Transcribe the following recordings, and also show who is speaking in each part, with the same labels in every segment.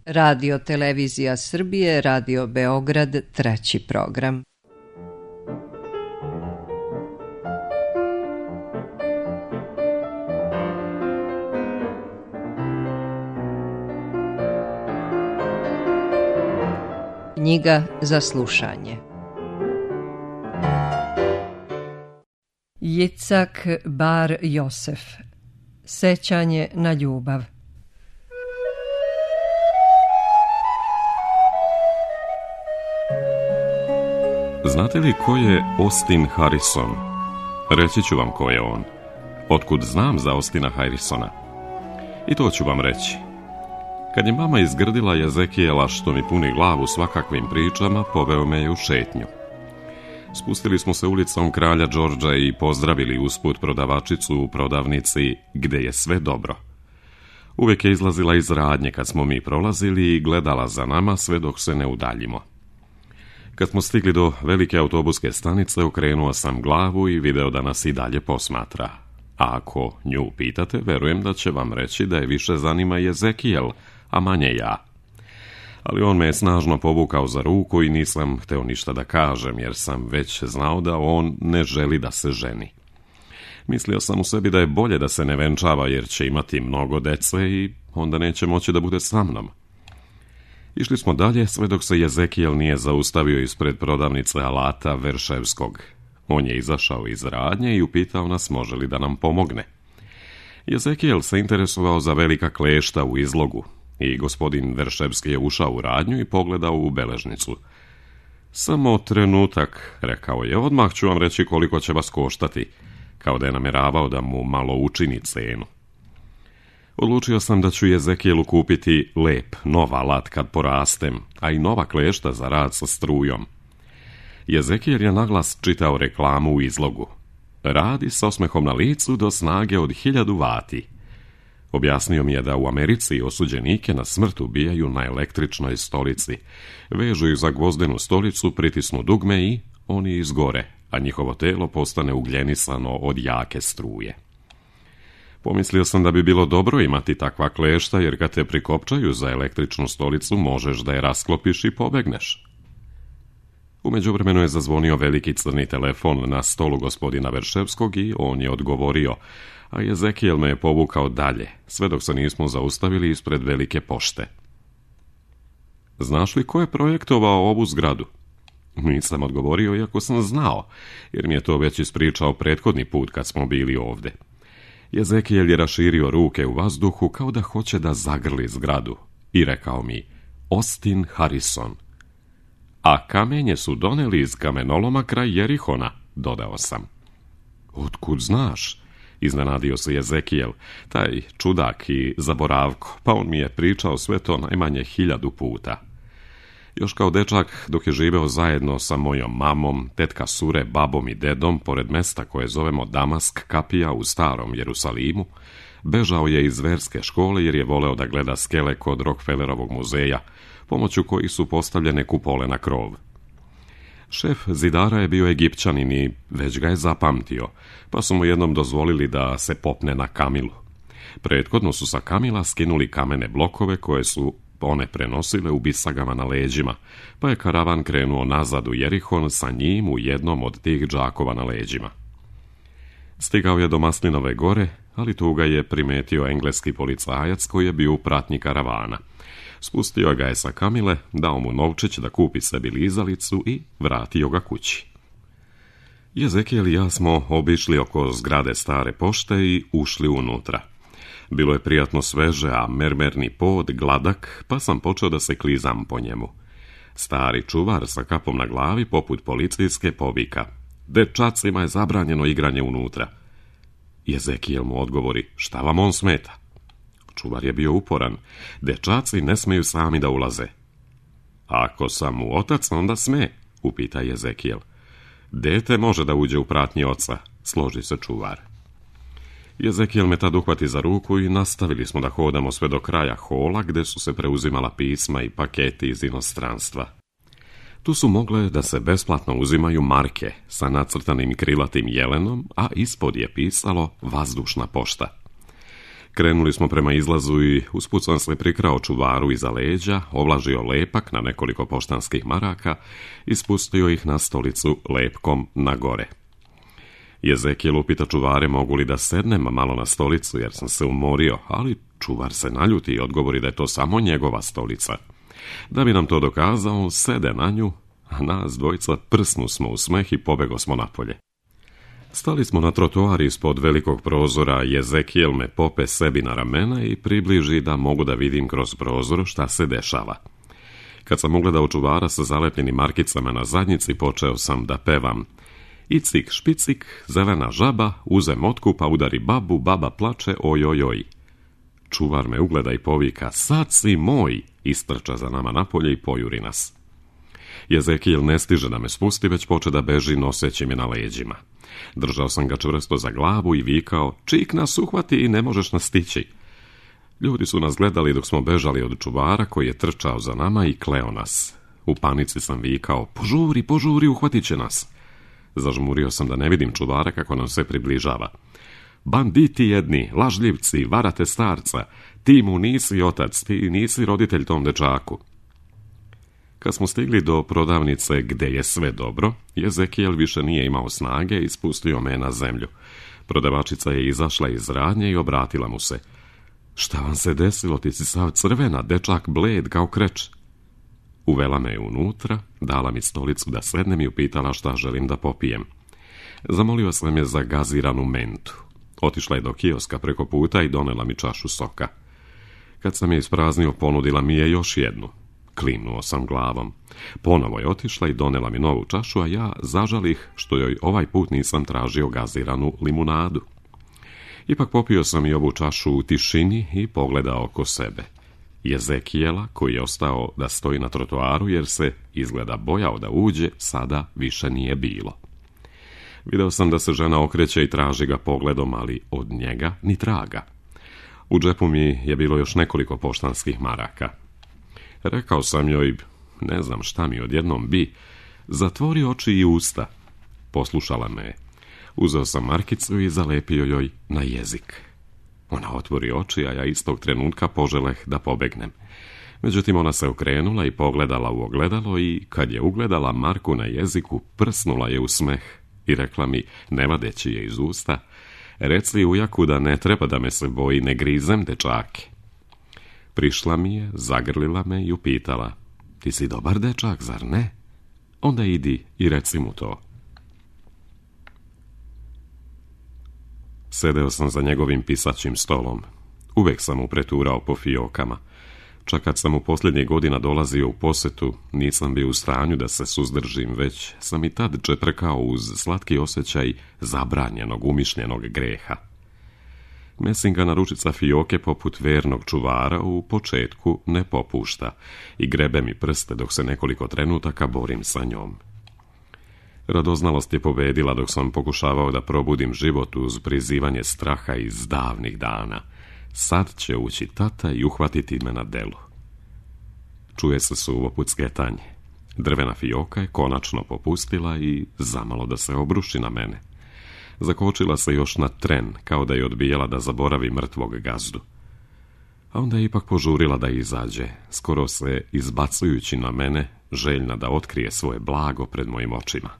Speaker 1: Radio Televizija Srbije, Radio Beograd, treći program. Knjiga za slušanje. Jicak Bar Josef. Sećanje na ljubav.
Speaker 2: Znate li ko je Austin Harrison? Reći ću vam ko je on. Otkud znam za Austina Harrisona? I to ću vam reći. Kad je mama izgrdila Jezekijela što mi puni glavu svakakvim pričama, poveo me je u šetnju. Spustili smo se ulicom Kralja Đorđa i pozdravili usput prodavačicu u prodavnici gde je sve dobro. Uvijek je izlazila iz radnje kad smo mi prolazili i gledala za nama sve dok se ne udaljimo. Kad smo stigli do velike autobuske stanice, okrenuo sam glavu i video da nas i dalje posmatra. A ako nju pitate, verujem da će vam reći da je više zanima Jezekijel, a manje ja. Ali on me je snažno povukao za ruku i nisam hteo ništa da kažem, jer sam već znao da on ne želi da se ženi. Mislio sam u sebi da je bolje da se ne venčava, jer će imati mnogo dece i onda neće moći da bude sa mnom. Išli smo dalje, sve dok se Jezekijel nije zaustavio ispred prodavnice alata Verševskog. On je izašao iz radnje i upitao nas može li da nam pomogne. Jezekijel se interesovao za velika klešta u izlogu i gospodin Verševski je ušao u radnju i pogledao u beležnicu. Samo trenutak, rekao je, odmah ću vam reći koliko će vas koštati, kao da je namjeravao da mu malo učini cenu. Odlučio sam da ću Jezekijelu kupiti lep, nov alat kad porastem, a i nova klešta za rad sa strujom. Jezekijel je naglas čitao reklamu u izlogu. Radi s osmehom na licu do snage od 1000 vati. Objasnio mi je da u Americi osuđenike na smrt ubijaju na električnoj stolici. Vežu ih za gvozdenu stolicu, pritisnu dugme i oni izgore, a njihovo telo postane ugljenisano od jake struje. Pomislio sam da bi bilo dobro imati takva klešta, jer kad te prikopčaju za električnu stolicu, možeš da je rasklopiš i pobegneš. U međuvremenu je zazvonio veliki crni telefon na stolu gospodina Verševskog i on je odgovorio, a Jezekijel me je povukao dalje, sve dok se nismo zaustavili ispred velike pošte. Znaš li ko je projektovao ovu zgradu? Nisam odgovorio, iako sam znao, jer mi je to već ispričao prethodni put kad smo bili ovde. Jezekijel je raširio ruke u vazduhu kao da hoće da zagrli zgradu i rekao mi, Austin Harrison. A kamenje su doneli iz kamenoloma kraj Jerihona, dodao sam. Otkud znaš? Iznenadio se Jezekijel, taj čudak i zaboravko, pa on mi je pričao sve to najmanje 1000 puta. Još kao dečak, dok je živeo zajedno sa mojom mamom, tetka Sure, babom i dedom, pored mesta koje zovemo Damask kapija u starom Jerusalimu, bežao je iz verske škole jer je voleo da gleda skele kod Rockefellerovog muzeja, pomoću kojih su postavljene kupole na krov. Šef zidara je bio Egipćanin i već ga je zapamtio, pa su mu jednom dozvolili da se popne na kamilu. Prethodno su sa kamila skinuli kamene blokove koje su one prenosile u bisagama na leđima, pa je karavan krenuo nazad u Jerihon sa njim u jednom od tih džakova na leđima. Stigao je do Maslinove gore, ali tu ga je primetio engleski policajac koji je bio u pratnji karavana. Spustio ga je sa kamile, dao mu novčić da kupi sebi lizalicu i vratio ga kući. Jezekijel i ja smo obišli oko zgrade stare pošte i ušli unutra. Bilo je prijatno sveže, a mermerni pod gladak, pa sam počeo da se klizam po njemu. Stari čuvar sa kapom na glavi, poput policijske, povika. Dečacima je zabranjeno igranje unutra. Jezekijel mu odgovori, šta vam on smeta? Čuvar je bio uporan. Dečaci ne smeju sami da ulaze. Ako sam mu otac, onda sme, upita Jezekijel. Dete može da uđe u pratnji oca, složi se čuvar. Jezekijel me tad uhvati za ruku i nastavili smo da hodamo sve do kraja hola gde su se preuzimala pisma i paketi iz inostranstva. Tu su mogle da se besplatno uzimaju marke sa nacrtanim krilatim jelenom, a ispod je pisalo vazdušna pošta. Krenuli smo prema izlazu i usput sam se prikrao čuvaru iza leđa, ovlažio lepak na nekoliko poštanskih maraka i spustio ih na stolicu lepkom na gore. Jezekijel upita čuvare mogu li da sednem malo na stolicu jer sam se umorio, ali čuvar se naljuti i odgovori da je to samo njegova stolica. Da bi nam to dokazao, on sede na nju, a nas dvojica prsnu smo u smeh i pobego smo napolje. Stali smo na trotoar ispod velikog prozora, Jezekijel me pope sebi na ramena i približi da mogu da vidim kroz prozor šta se dešava. Kad sam ugledao čuvara sa zalepljenim markicama na zadnjici, počeo sam da pevam: Icik špicik, zelena žaba, uze motku pa udari babu, baba plače, oj. Čuvar me ugleda i povika: sad si moj, istrča za nama napolje i pojuri nas. Jezekijel ne stiže da me spusti, već poče da beži noseći me na leđima. Držao sam ga čvrsto za glavu i vikao: čik nas uhvati i ne možeš nas stići. Ljudi su nas gledali dok smo bežali od čuvara koji je trčao za nama i kleo nas. U panici sam vikao: požuri, uhvatit će nas. Zažmurio sam da ne vidim čuvara kako nam se približava. Banditi jedni, lažljivci, varate starca, ti mu nisi otac, ti nisi roditelj tom dečaku. Kad smo stigli do prodavnice gde je sve dobro, Jezekijel više nije imao snage i spustio me na zemlju. Prodavačica je izašla iz radnje i obratila mu se: šta vam se desilo, ti si sav crvena, dečak bled kao kreč. Uvela me unutra, dala mi stolicu da sednem i upitala šta želim da popijem. Zamolio sam je za gaziranu mentu. Otišla je do kioska preko puta i donela mi čašu soka. Kad sam je ispraznio, ponudila mi je još jednu. Klimnuo sam glavom. Ponovo je otišla i donela mi novu čašu, a ja zažalih što joj ovaj put nisam tražio gaziranu limunadu. Ipak popio sam i ovu čašu u tišini i pogledao oko sebe. Jezekijela, koji je ostao da stoji na trotoaru jer se izgleda bojao da uđe, sada više nije bilo. Video sam da se žena okreće i traži ga pogledom, ali od njega ni traga. U džepu mi je bilo još nekoliko poštanskih maraka. Rekao sam joj, ne znam šta mi odjednom bi, zatvori oči i usta. Poslušala me. Uzeo sam markicu i zalepio joj na jezik. Ona otvori oči, a ja istog trenutka poželeh da pobegnem. Međutim, ona se okrenula i pogledala u ogledalo i, kad je ugledala marku na jeziku, prsnula je u smeh i rekla mi, ne vadeći je iz usta: reci ujaku da ne treba da me se boji, ne grizem dečake. Prišla mi je, zagrlila me i upitala: ti si dobar dečak, zar ne? Onda idi i reci mu to. Sedeo sam za njegovim pisaćim stolom. Uvek sam mu preturao po fiokama. Čak kad sam u posljednjih godina dolazio u posetu, nisam bio u stanju da se suzdržim, već sam i tad čeprkao uz slatki osjećaj zabranjenog, umišljenog greha. Mesingana ručica fioke poput vernog čuvara u početku ne popušta i grebe mi prste dok se nekoliko trenutaka borim sa njom. Radoznalost je pobedila dok sam pokušavao da probudim život uz prizivanje straha iz davnih dana. Sad će ući tata i uhvatiti me na delu. Čuje se suvo pucketanje. Drvena fioka je konačno popustila i zamalo da se obruši na mene. Zakočila se još na tren, kao da je odbijala da zaboravi mrtvog gazdu. A onda je ipak požurila da izađe, skoro se izbacujući na mene, željna da otkrije svoje blago pred mojim očima.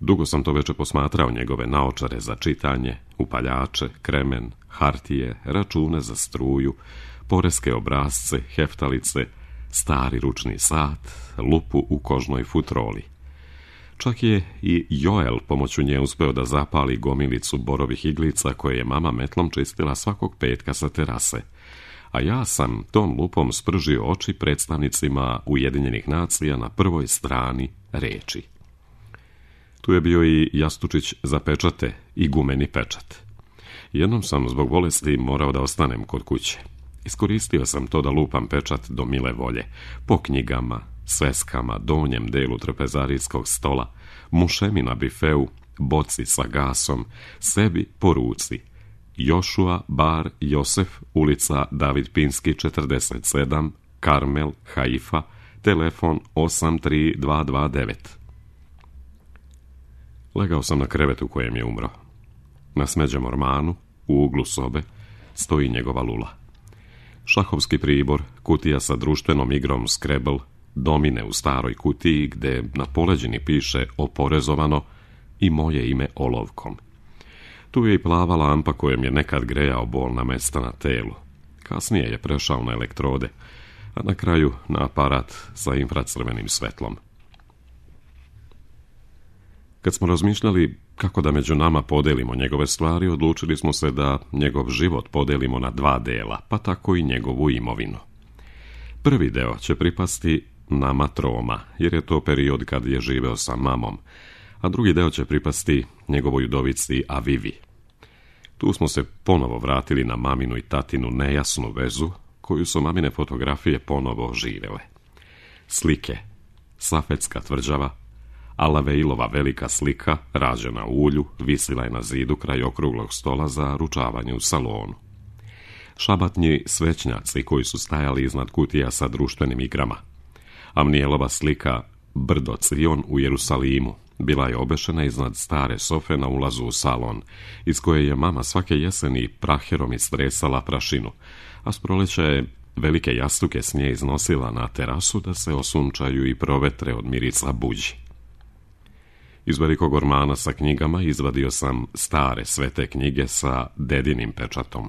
Speaker 2: Dugo sam to veče posmatrao njegove naočare za čitanje, upaljače, kremen, hartije, račune za struju, poreske obrasce, heftalice, stari ručni sat, lupu u kožnoj futroli. Čak je i Joel pomoću nje uspeo da zapali gomilicu borovih iglica koje je mama metlom čistila svakog petka sa terase, a ja sam tom lupom spržio oči predstavnicima Ujedinjenih nacija na prvoj strani reči. Tu je bio i jastučić za pečate i gumeni pečat. Jednom sam zbog bolesti morao da ostanem kod kuće. Iskoristio sam to da lupam pečat do mile volje, po knjigama, sveskama, donjem delu trpezarijskog stola, mušemi na bifeu, boci sa gasom, sebi po ruci. Jošua bar Josef, ulica David Pinski 47, Karmel, Haifa, telefon 83229. Legao sam na krevet u kojem je umro. Na smeđem ormanu, u uglu sobe, stoji njegova lula. Šahovski pribor, kutija sa društvenom igrom Scrabble, domine u staroj kutiji gde na poleđini piše oporezovano i moje ime olovkom. Tu je i plava lampa kojom je nekad grejao bolna mesta na telu. Kasnije je prešao na elektrode, a na kraju na aparat sa infracrvenim svetlom. Kad smo razmišljali kako da među nama podelimo njegove stvari, odlučili smo se da njegov život podelimo na 2 dela, pa tako i njegovu imovinu. Prvi deo će pripasti nama troma, jer je to period kad je živeo sa mamom, a drugi deo će pripasti njegovoj udovici Avivi. Tu smo se ponovo vratili na maminu i tatinu nejasnu vezu, koju su mamine fotografije ponovo oživele. Slike, Safetska tvrđava, Alaveilova velika slika, rađena u ulju, visila je na zidu kraj okruglog stola za ručavanje u salonu. Šabatnji svećnjaci koji su stajali iznad kutija sa društvenim igrama. Amnijelova slika Brdo Cion u Jerusalimu bila je obešena iznad stare sofe na ulazu u salon, iz koje je mama svake jeseni praherom istresala prašinu, a s proleća je velike jastuke s nje iznosila na terasu da se osunčaju i provetre od mirisa buđi. Iz velikog ormana sa knjigama izvadio sam stare svete knjige sa dedinim pečatom.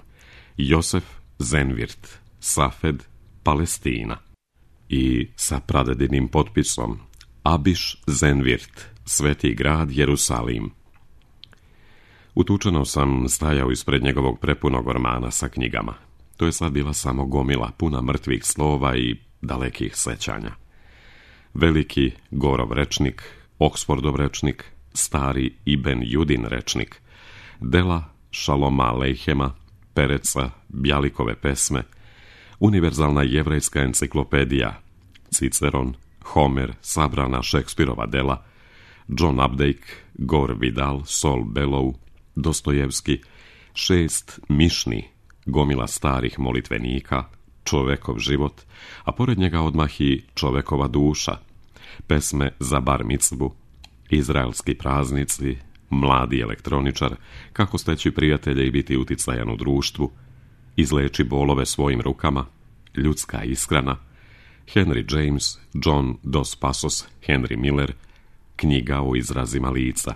Speaker 2: Josef Zenvirt, Safed, Palestina. I sa pradedinim potpisom Abiš Zenvirt, Sveti grad Jerusalim. Utučeno sam stajao ispred njegovog prepunog ormana sa knjigama. To je sad bila samo gomila puna mrtvih slova i dalekih sećanja. Veliki Gorov rečnik, Oksfordov rečnik, stari Ibn Judin rečnik, dela Šaloma Alejhema, Pereca, Bjalikove pesme, univerzalna jevrejska enciklopedija, Ciceron, Homer, sabrana Šekspirova dela, John Updike, Gore Vidal, Sol Bellow, Dostojevski, 6 Mišni, gomila starih molitvenika, Čovekov život, a pored njega odmah i Čovekova duša, pesme za bar micvu, izraelski praznici, mladi elektroničar, kako steći prijatelje i biti uticajan u društvu, izleči bolove svojim rukama, ljudska ishrana, Henry James, John Dos Passos, Henry Miller, knjiga o izrazima lica.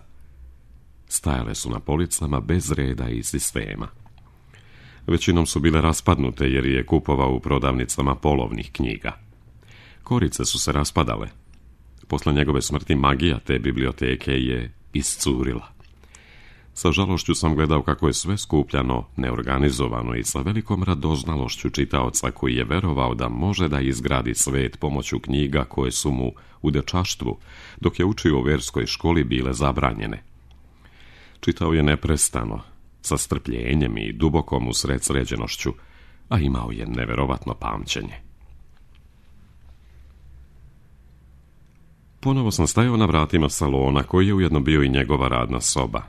Speaker 2: Stajale su na policama bez reda i sistema. Većinom su bile raspadnute jer je kupovao u prodavnicama polovnih knjiga. Korice su se raspadale. Posle njegove smrti magija te biblioteke je iscurila. Sa žalošću sam gledao kako je sve skupljano, neorganizovano i sa velikom radoznalošću čitaoca koji je verovao da može da izgradi svet pomoću knjiga koje su mu u dečaštvu, dok je učio u verskoj školi, bile zabranjene. Čitao je neprestano, sa strpljenjem i dubokom usredsređenošću, a imao je neverovatno pamćenje. Ponovo sam stajao na vratima salona, koji je ujedno bio i njegova radna soba.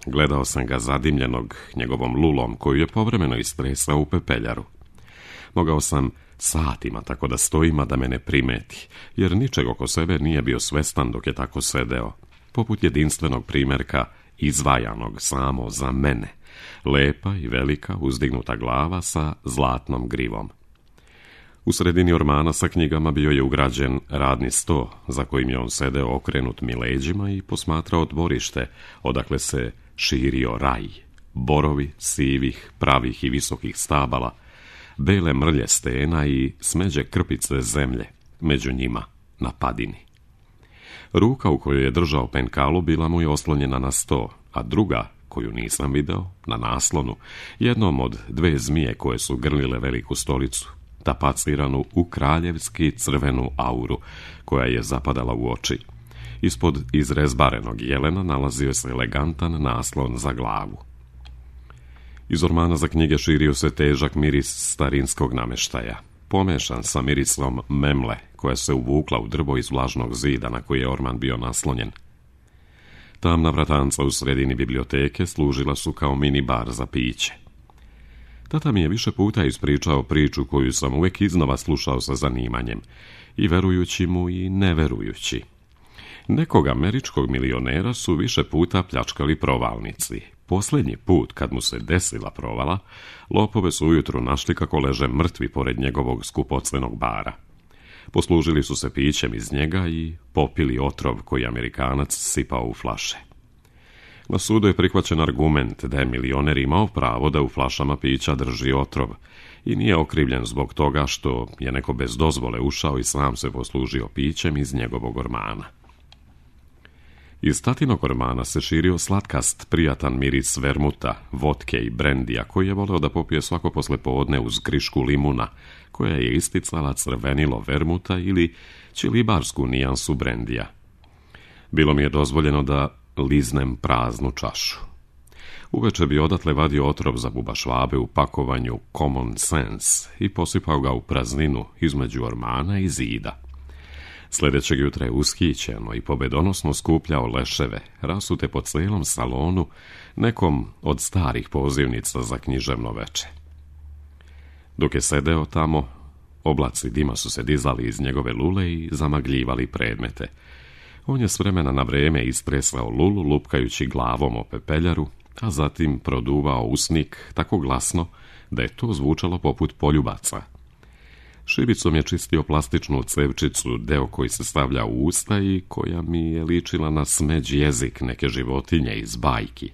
Speaker 2: Gledao sam ga zadimljenog njegovom lulom, koju je povremeno istresao u pepeljaru. Mogao sam satima tako da stojim, a da me ne primeti, jer ničeg oko sebe nije bio svestan dok je tako sedeo, poput jedinstvenog primjerka izvajanog samo za mene, lepa i velika uzdignuta glava sa zlatnom grivom. U sredini ormana sa knjigama bio je ugrađen radni sto, za kojim je on sedeo okrenut mi leđima i posmatrao dvorište, odakle se širio raj, borovi sivih, pravih i visokih stabala, bele mrlje stena i smeđe krpice zemlje, među njima na padini. Ruka u kojoj je držao penkalu bila mu je oslonjena na sto, a druga, koju nisam video, na naslonu, jednom od 2 zmije koje su grlile veliku stolicu, tapaciranu u kraljevski crvenu auru, koja je zapadala u oči. Ispod izrezbarenog jelena nalazio se elegantan naslon za glavu. Iz ormana za knjige širio se težak miris starinskog nameštaja, pomešan sa mirisom memle, koja se uvukla u drvo iz vlažnog zida na koji je orman bio naslonjen. Tamna vratanca u sredini biblioteke služila su kao mini bar za piće. Tata mi je više puta ispričao priču koju sam uvijek iznova slušao sa zanimanjem, i verujući mu i neverujući. Nekog američkog milionera su više puta pljačkali provalnici, Posljednji put, kad mu se desila provala, lopove su ujutro našli kako leže mrtvi pored njegovog skupocjenog bara. Poslužili su se pićem iz njega i popili otrov koji Amerikanac sipao u flaše. Na sudu je prihvaćen argument da je milioner imao pravo da u flašama pića drži otrov i nije okrivljen zbog toga što je neko bez dozvole ušao i sam se poslužio pićem iz njegovog ormana. Iz tatinog ormana se širio slatkast, prijatan miris vermuta, vodke i brendija, koji je voleo da popije svako poslepodne uz krišku limuna, koja je isticala crvenilo vermuta ili čilibarsku nijansu brendija. Bilo mi je dozvoljeno da liznem praznu čašu. Uveče bi odatle vadio otrov za bubašvabe u pakovanju Common Sense i posipao ga u prazninu između ormana i zida. Sljedećeg jutra je ushićeno i pobedonosno skupljao leševe, rasute po cijelom salonu, nekom od starih pozivnica za književno veče. Dok je sedeo tamo, oblaci dima su se dizali iz njegove lule i zamagljivali predmete. On je s vremena na vrijeme istresao lulu lupkajući glavom o pepeljaru, a zatim produvao usnik tako glasno da je to zvučalo poput poljubaca. Šibicom je čistio plastičnu cevčicu, deo koji se stavlja u usta i koja mi je ličila na smeđ jezik neke životinje iz bajki.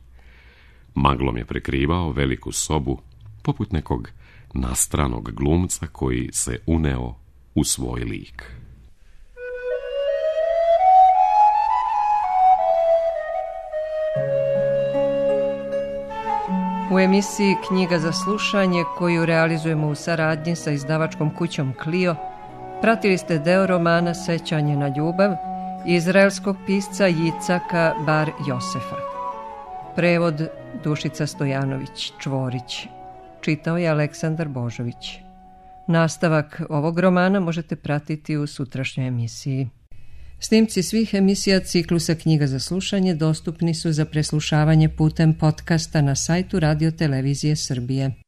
Speaker 2: Maglom je prekrivao veliku sobu, poput nekog nastranog glumca koji se uneo u svoj lik.
Speaker 1: U emisiji Knjiga za slušanje, koju realizujemo u saradnji sa izdavačkom kućom Clio, pratili ste deo romana Sećanje na ljubav izraelskog pisca Jicaka Bar Josefa. Prevod Dušica Stojanović Čvorić. Čitao je Aleksandar Božović. Nastavak ovog romana možete pratiti u sutrašnjoj emisiji. Snimci svih emisija ciklusa Knjiga za slušanje dostupni su za preslušavanje putem podcasta na sajtu Radio Televizije Srbije.